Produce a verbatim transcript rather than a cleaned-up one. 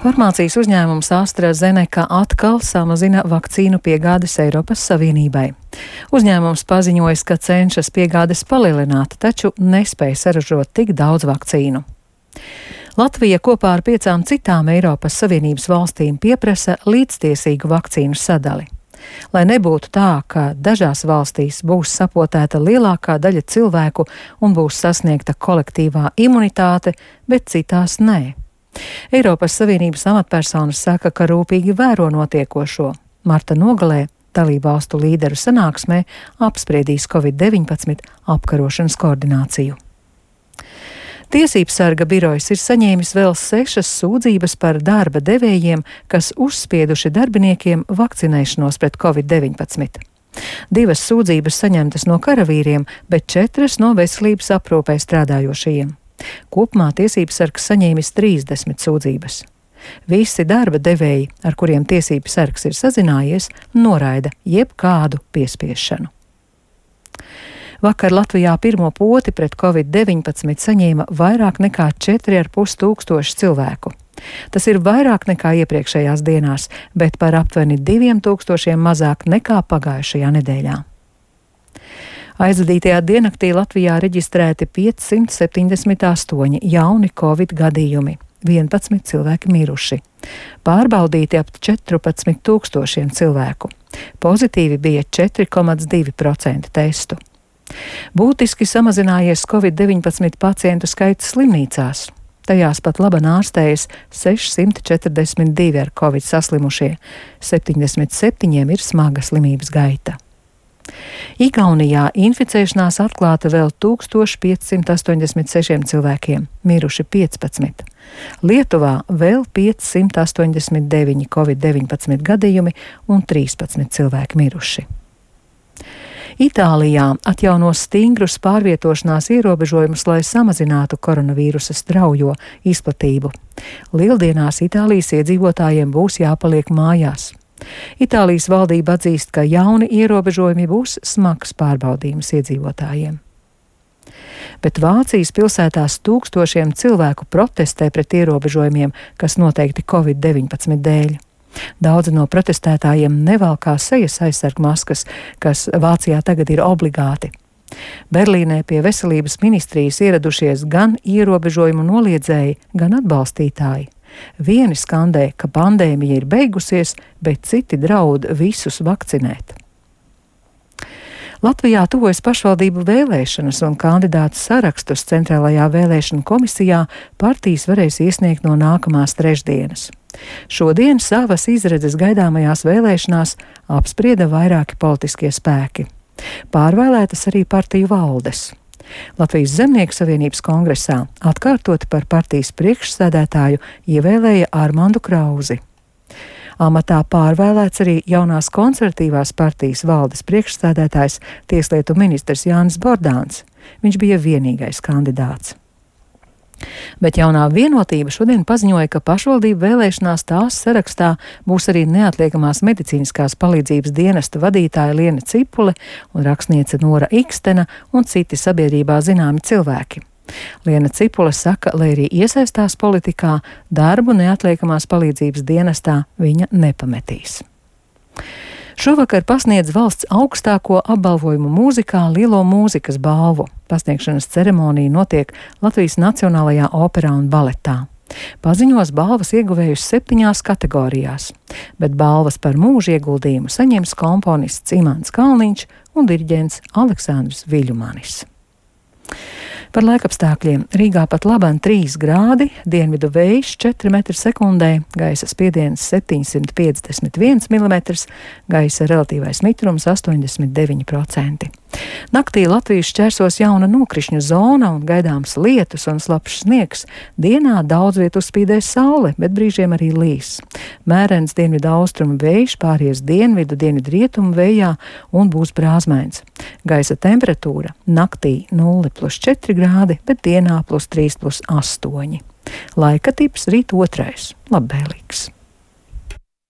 Farmācijas uzņēmums AstraZeneca atkal samazina vakcīnu piegādes Eiropas Savienībai. Uzņēmums paziņoja, ka cenšas piegādes palielināt, taču nespēja saražot tik daudz vakcīnu. Latvija kopā ar piecām citām Eiropas Savienības valstīm pieprasa līdztiesīgu vakcīnu sadali. Lai nebūtu tā, ka dažās valstīs būs sapotēta lielākā daļa cilvēku un būs sasniegta kolektīvā imunitāte, bet citās nē. Eiropas Savienības amatpersonas saka, ka rūpīgi vēro notiekošo. Marta nogalē dalībvalstu līderu sanāksmē apspriedīs covid deviņpadsmit apkarošanas koordināciju. Tiesībsarga birojas ir saņēmis vēl sešas sūdzības par darba devējiem, kas uzspieduši darbiniekiem vakcinēšanos pret covid deviņpadsmit. Divas sūdzības saņemtas no karavīriem, bet četras no veselības aprūpē strādājošajiem. Kopumā tiesībsargs saņēmis trīsdesmit sūdzības. Visi darba devēji, ar kuriem tiesībsargs ir sazinājies, noraida jebkādu piespiešanu. Vakar Latvijā pirmo poti pret covid deviņpadsmit saņēma vairāk nekā četri ar pus tūkstoši cilvēku. Tas ir vairāk nekā iepriekšējās dienās, bet par aptuveni diviem tūkstošiem mazāk nekā pagājušajā nedēļā. Aizvadītajā diennaktī Latvijā reģistrēti piecsimt septiņdesmit astoņi jauni covid gadījumi, vienpadsmit cilvēki miruši. Pārbaudīti ap četrpadsmit tūkstošiem cilvēku. Pozitīvi bija četri komats divi procenti testu. Būtiski samazinājies covid deviņpadsmit pacientu skaits slimnīcās. Tajās pat laban ārstējas sešsimt četrdesmit divi ar covid saslimušie, septiņdesmit septiņiem ir smaga slimības gaita. Igaunijā inficēšanās atklāta vēl tūkstoš piecsimt astoņdesmit sešiem cilvēkiem, miruši piecpadsmit. Lietuvā vēl piecsimt astoņdesmit deviņi covid deviņpadsmit gadījumi un trīspadsmit cilvēki miruši. Itālijā atjauno stingrus pārvietošanās ierobežojumus, lai samazinātu koronavīrusa straujo izplatību. Lieldienās Itālijas iedzīvotājiem būs jāpaliek mājās. Itālijas valdība atzīst, ka jauni ierobežojumi būs smags pārbaudījums iedzīvotājiem. Bet Vācijas pilsētās tūkstošiem cilvēku protestē pret ierobežojumiem, kas noteikti covid deviņpadsmit dēļ. Daudzi no protestētājiem nevalkā sejas aizsargmaskas, kas Vācijā tagad ir obligāti. Berlīnē pie veselības ministrijas ieradušies gan ierobežojumu noliedzēji, gan atbalstītāji. Vieni skandē, ka pandēmija ir beigusies, bet citi draud visus vakcinēt. Latvijā tuvojas pašvaldību vēlēšanas un kandidātu sarakstus Centrālajā vēlēšanu komisijā partijas varēs iesniegt no nākamās trešdienas. Šodien savas izredzes gaidāmajās vēlēšanās apsprieda vairāki politiskie spēki. Pārvēlētas arī partiju valdes. Latvijas Zemnieku savienības kongresā atkārtoti par partijas priekšsēdētāju ievēlēja Armandu Krauzi. Amatā pārvēlēts arī jaunās konservatīvās partijas valdes priekšsēdētājs tieslietu ministrs Jānis Bordāns. Viņš bija vienīgais kandidāts. Bet jaunā vienotība šodien paziņoja, ka pašvaldību vēlēšanās tās sarakstā būs arī neatliekamās medicīniskās palīdzības dienesta vadītāja Liena Cipule un rakstniece Nora Ikstena un citi sabiedrībā zināmi cilvēki. Liena Cipule saka, lai arī iesaistās politikā, darbu neatliekamās palīdzības dienestā viņa nepametīs. Šovakar pasniedz valsts augstāko apbalvojumu mūzikā Lielo mūzikas balvu. Pasniegšanas ceremonija notiek Latvijas Nacionālajā operā un baletā. Paziņos balvas ieguvējus septiņās kategorijās, bet balvas par mūža ieguldījumu saņems komponists Imants Kalniņš un diriģents Aleksandrs Viļumanis. Par laikapstākļiem Rīgā pat laban trīs grādi, dienvidu vējš četri metri sekundē, gaisa spiediens septiņsimt piecdesmit viens milimetrs, gaisa relatīvais mitrums astoņdesmit deviņi procenti. Naktī Latvijas šķērsos jauna nokrišņu zona un gaidāms lietus un slapjš sniegs. Dienā daudz vietu spīdēs saule, bet brīžiem arī līs. Mērens dienvidu austrumu vējš pāries dienvidu, dienvidu rietumu vējā un būs brāzmains. Gaisa temperatūra naktī nulle plus četri grādi, bet dienā plus trīs plus astoņi. Laika tips rīt otrais, labvēlīgs.